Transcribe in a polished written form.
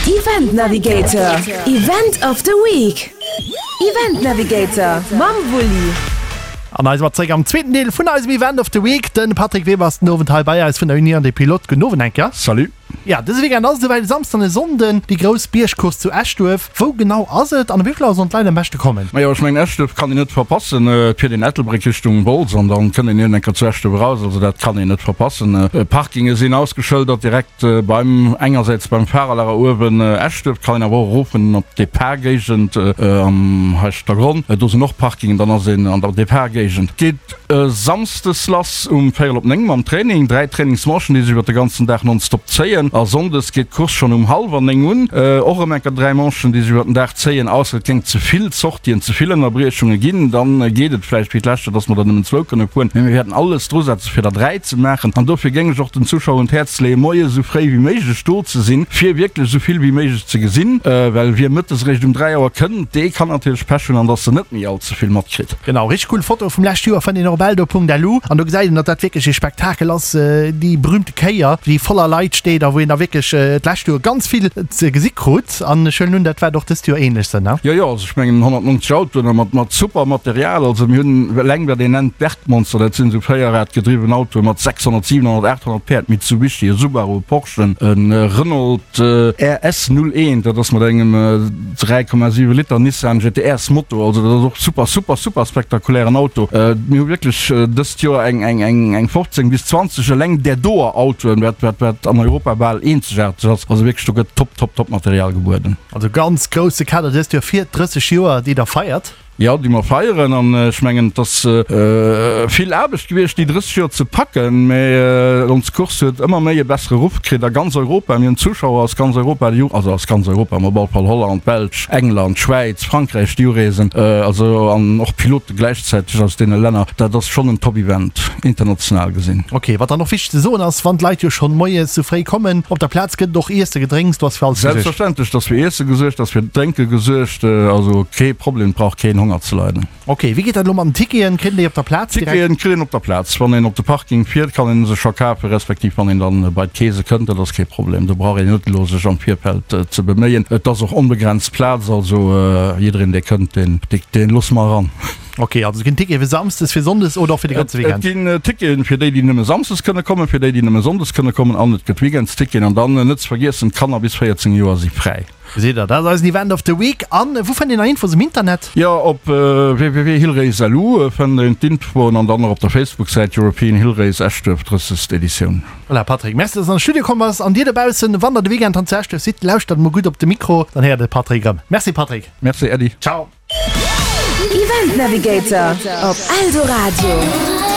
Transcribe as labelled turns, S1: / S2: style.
S1: Event Navigator, Event of the Week. Event Navigator mam Wulli.
S2: An hei si mer zréck am zweeten Deel vun eisem Event of the Week. De Patrick Weber ass den Owend hei bei eis vun der Union des Pilotes. Gudden Owend eng Kéier.
S3: Salut.
S2: Ja, dëse Weekend ass et esouwäit, e Samsden an e Sonnden, déi grouss Biergcourse zu Eschduerf. Wou genau ass et an ëm wéi vill Auer sollen d'Leit am beschte kommen?
S3: Majo, ech mengen Eschduerf kann een net verpassen. Et fiert een Ettelbréck Richtung Wolz an dann kënnt een iergend eng Kéier zu Eschduerf eraus. Also dat kann een net verpassen. Parkinge sinn ausgeschëldert direkt beim, engersäits beim Fahrerlager uewen Eschduerf, kann een awer och erofen op d'Depart-Géigend am Heischtergronn. Do sinn och Parkingen, dann ass een an der Depart-Géigend. Geet E Samsdes lass um véierel op 9 mam Training. 3 Trainingsmanchen, déi sech iwwer de ganzen Dag nonstop zéien. A Sonndes geet d'Course schonn um hallwer 9 un. Och erëm enker 3 Manchen, déi sech iwwer den Dag zéien. Ausser et géing ze vill Sortien, ze vill Ënnerbriechunge ginn, dann geet et vläicht wéi d'lescht Joer, dass mer der nëmmen zwou kënne fueren. Mee mir wäerten alles drusetzen, fir der 3 ze maachen. An dofir géing ech och den Zuschauer un d'Häerz leeën, moies esou fréi wéi méiglech do ze sinn, fir wierklech esou vill wéi méiglech ze gesinn. Well wie mëttes eréischt um 3 Auer kënnt, dee kann natierlech Pech hunn an dass en net méi all ze vill matkritt.
S2: Genau, richteg cool Foto vum lescht Joer fënnt een och op eldo.lu an do gesäit een, datt dat wierklech ee Spektakel ass, déi berühmte Kéier, déi voller Leit steet a wou een da wierklech d'lescht Joer ganz vill ze gesi krut an ech huelen un, dat waert och dëst Joer ähnlech sënn, ne?
S3: Jo, jo, also ech mengen 190 Autoen a mat mat super Material, also mir hunn eleng wat een nennt Bergmonster, dat sinn esou véierradgedriwwen Autoe mat 600, 700, 800 Päerd, Mitsubishi, e Subaru, e Porsche, e Renault RS 01, dat ass mat engem 3,7 Liter Nissan GT-Rs Motor, also dat ass och super, super, super spektakulären Auto. Mir hu wierklech dëst Joer eng, eng, eng, eng 15 bis 20 eleng där doer Autoen, wat, wat, wat an Europa bal eenzegaarteg ass. Also wierklech, do gëtt top, top, top Material gebueden.
S2: Also ganz grousse Kader dëst Joer fir d'30 Joer, déi der feiert.
S3: Jo, déi mer feieren. An ech mengen, et ass vill Aarbecht gewiescht, déi 30 Joer ze packen, mä ons Course huet ëmmer méi e bessere Ruff kritt a ganz Europa. Mir hunn Zuschauer aus ganz Europa, déi, also aus ganz Europa, mä op alle Fall Holland, Belsch, England, Schwäiz, Frankräich, déi ureesen, also an och Pilote gläichzäiteg aus deene Länner. Dat ass schonn en Top-Event, international gesinn.
S2: Ok, wat dann och wichteg ze soen ass, wann d'Leit jo schonn moies sou fréi kommen, op der Plaz gëtt et och Iesse, Gedrénks, do ass fir alles
S3: gesuergt. Selbstverständlech, et ass fir Iesse gesuergt, et ass fir Drénke gesuergt. Also kee Problem, et brauch keen Honger ze leiden.
S2: Ok, wéi geet dat elo mat den Ticketen? Kritt een déi op der Plaz
S3: direkt? Ticketen kritt een op der Plaz. Wann een op de Parking fiert, kann een se scho kafen, respektiv wann een dann bei d'Keese kënnt, dat ass kee Problem. Do brauch een net elo sech am Virfeld ze beméien. Et ass och onbegrenzt Plaz, also jiddereen dee kënnt, deen, deen loosse mer eran.
S2: Ok, also et ginn Tickete fir Samsdes, fir Sonndes oder och fir de ganze
S3: Weekend? Et ginn Ticketen fir déi, déi nëmme Samsdes kënne kommen, fir déi, déi nëmme Sonndes kënne kommen an et gëtt Weekendsticketen. An dann net ze vergiessen, d'Kanner bis 14 Joer si fräi.
S2: Gesitt der, dat ass eisen Event of the Week. An wou fënnt een nach Infos um Internet?
S3: Jo, op www.hillrace.lu fënnt een d'Infoen an dann och op der Facebook-Säit European Hill Race Eschduerf 30. Editioun.
S2: Voilà, Patrick, merci, dass de an de Studio komm bass. An dir dobaussen, wann der de Weekend han zu Eschduerf sidd, lauschtert emol gutt op de Mikro, dann héiert der de Patrick erëm. Merci, Patrick.
S3: Merci, Äddi.
S2: Ciao.
S1: Event Navigator op Eldoradio.